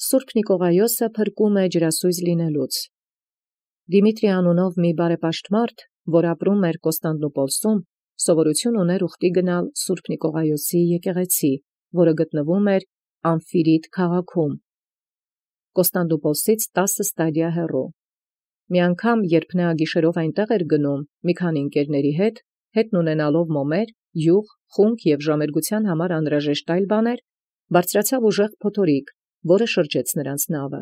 Սուրբ Նիկողայոսը փրկում է ջրասույզ լինելուց։ Դիմիտրի անունով մի բարեպաշտմարդ, որ ապրում էր Կոստանդնուպոլսում, սովորություն ուներ ուխտի գնալ Սուրբ Նիկողայոսի եկեղեցի, որը գտնվում էր Ամֆիրիդ քաղաքում, Կոստանդնուպոլսից 10 ստադիա հեռու։ Մի անգամ, երբ նա գիշերով այնտեղ էր գնում, մի քանի ընկերների հետ ունենալով մոմեր, յուղ, խունկ և ժամերգության համար անհրաժեշտ այլ բաներ, բարձրացավ ուժեղ փոթորիկ, որը շրջեց նրանց նավը։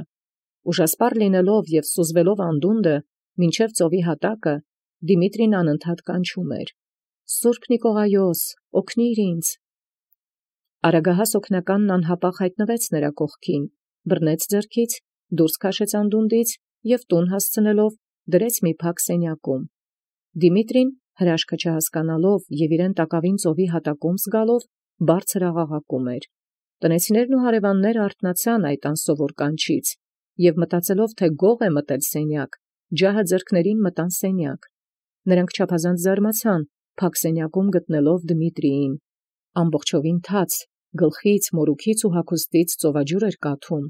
Ուժասպառ լինելով և սուզվելով անդունդը, մինչև ծովի հատակը, Դիմիտրին անընդհատ կանչում էր. «Սուրբ Նիկողայոս, օգնիր ինձ»։ Արագահաս օգնականն անհապաղ հայտնվեց նրա կողքին, բռնեց ձեռքից, դուրս քաշեց անդունդից և տուն հասցնելով դրեց մի փակ սենյակում։ Դիմիտրին, հրաշքը չհասկանալով և իրեն տակավին ծովի հատակում զգալով, բարձր աղաղակում էր։ Տնեցիներն ու հարևանները արթնացան այդ անսովոր կանչից և մտածելով, թե գող է մտել սենյակ, ջահը ձեռքներին մտան սենյակ։ Նրանք չափազանց զարմացան, փակ սենյակում գտնելով Դմիտրիին։ Ամբողջովին թաց, գլխից, մորուքից ու հագուստից ծովաջուր էր կաթում։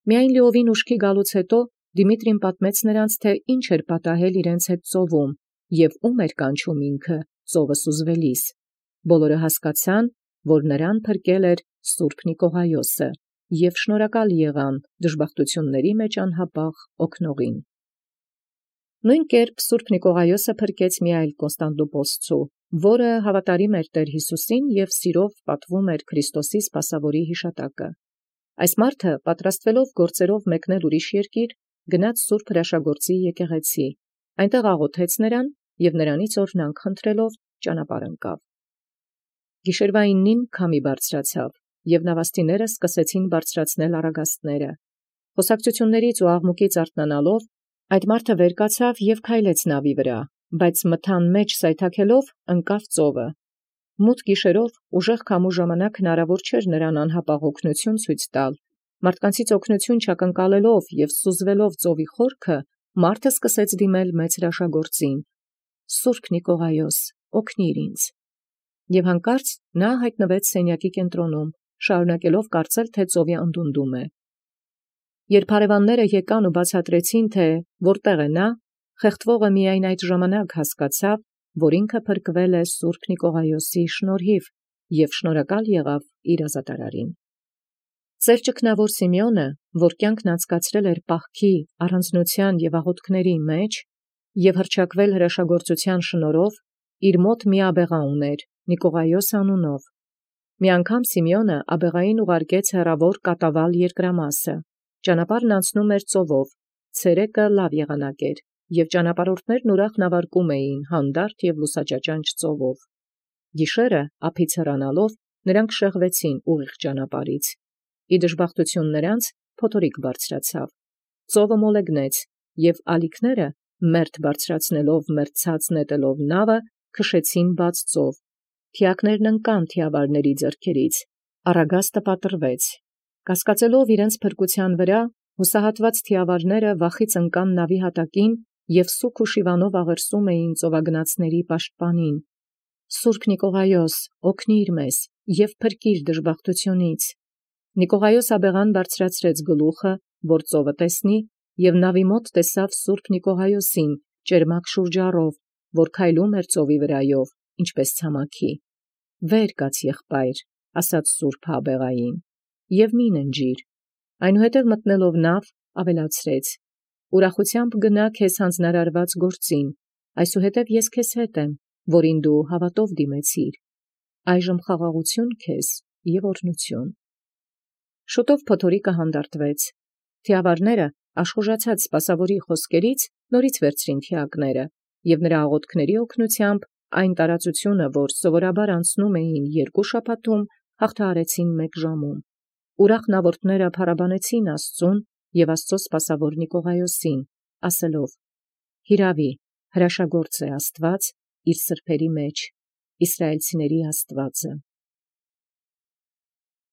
Միայն լիովին ուշքի գալուց հետո Դիմիտրին պատմեց նրանց, թե ինչ էր պատահել իրենց հետ ծովում և ում էր կանչում ինքը ծովը սուզվելիս։ Բոլորը հասկացան, որ նրան փրկել էր Սուրբ Նիկողայոսը և շնորհակալ եղան դժբախտությունների մեջ անհապաղ օգնողին։ Նույն կերպ Սուրբ Նիկողայոսը փրկեց մի այլ Կոստանդնուպոլսցու, որը հավատարիմ էր Տեր Յիսուսին և սիրով պատվում էր Քրիստոսի սպասավորի հիշատակը։ Այս մարդը, պատրաստվելով գործերով մեկնել ուրիշ երկիր, գնաց Սուրբ Հրաշագործի եկեղեցի, այնտեղ աղոթեց նրան և նրանից օրհնանք խնդրելով ճանապարհ ընկավ։ Գիշերվայինին քամի բարձրացավ, և նավաստիները սկսեցին բարձրացնել առագաստները։ Խոսակցություններից ու աղմուկից արթնանալով, այդ մարդը վեր կացավ և քայլեց նավի վրա, բայց մթան մեջ սայթաքելով ընկավ ծովը։ Մութ գիշերով ուժեղ քամու ժամանակ հնարավոր չէր նրան անհապաղ օգնություն ցույց տալ։ Մարդկանցից օգնություն չակնկալելով և սուզվելով ծովի խորքը, մարդը սկսեց դիմել մեծ հրաշագործին. «Սուրբ Նիկողայոս, օգնիր ինձ»։ Եվ հանկարծ նա հայտնվեց սենյակի կենտրոնում, շարունակելով կարծել, թե ծովի անդունդում է։ Երբ հարևանները եկան ու բացատրեցին, թե որտեղ է նա, խեղդվողը միայն այդ ժամանակ հասկացավ, որ ինքը փրկվել է Սուրբ Նիկողայոսի շնորհիվ և շնորհակալ եղավ իր ազատարարին։ Ծեր ճգնավոր Սիմեոնը, որ կյանքն անցկացրել էր պահքի, առանձնության և աղոթքների մեջ և հռչակվել հրաշագործության շնորհով, իր մոտ մի աբեղա ուներ, Նիկողայոս անունով։ Մի անգամ Սիմեոնը աբեղային ուղարկեց հեռավոր կատավալ երկրամասը։ Ճանապարհն անցնում էր ծովով, ցերեկը լավ եղանակ էր, և ճանապարհորդներն ուրախ նավարկում էին հանդարտ և լուսաճաճանճ ծովով։ Գիշերը ափից հեռանալով նրանք շեղվեցին ուղիղ ճանապարհից։ Ի դժբախտություն նրանց փոթորիկ բարձրացավ։ Ծովը մոլեգնեց, և ալիքները, մերթ բարձրացնելով մերձած նետելով նավը, քշեցին բաց ծով։ Թիակներն ընկան թիավարների ձեռքերից, առագաստը պատռվեց։ Կասկածելով իրենց փրկության վրա, հուսահատված թիավարները վախից ընկան նավի հատակին և սուգ ու շիվանով աղերսում էին ծովագնացների պաշտպանին. «Սուրբ Նիկողայոս, օգնիր մեզ և փրկիր դժբախտությունից»։ Նիկողայոս աբեղան բարձրացրեց գլուխը, որ ծովը տեսնի, և նավի մոտ տեսավ Սուրբ Նիկողայոսին ճերմակ շուրջառով, որ քայլում էր ծովի վրայով, ինչպես ցամաքի։ «Վեր կաց, եղբայր», ասաց սուրբը աբեղային, «և մի ննջիր»։ Այնուհետև մտնելով նավ, ավելացրեց. «Ուրախությամբ գնա քեզ հանձնարարված գործին, այսուհետև ես քեզ հետ եմ, որին դու հավատով դիմեցիր։ Այժմ խաղաղություն քեզ և օրհնություն»։ Շուտով փոթորիկը հանդարտվեց։ Թիավարները, աշխուժացած սպասավորի խոսքերից, նորից վերցրին թիակները, և նրա աղոթքների օգնությամբ այն տարածությունը, որ սովորաբար անցնում էին 2 շաբաթում, հաղթահարեցին 1 ժամում։ Ուրախ նավորդները փառաբանեցին Աստծուն և Աստծո սպասավոր Նիկողայոսին, ասելով. «Հիրավի, հրաշագործ է Աստված իր սրբերի մեջ, իսրայելցիների Աստվածը»։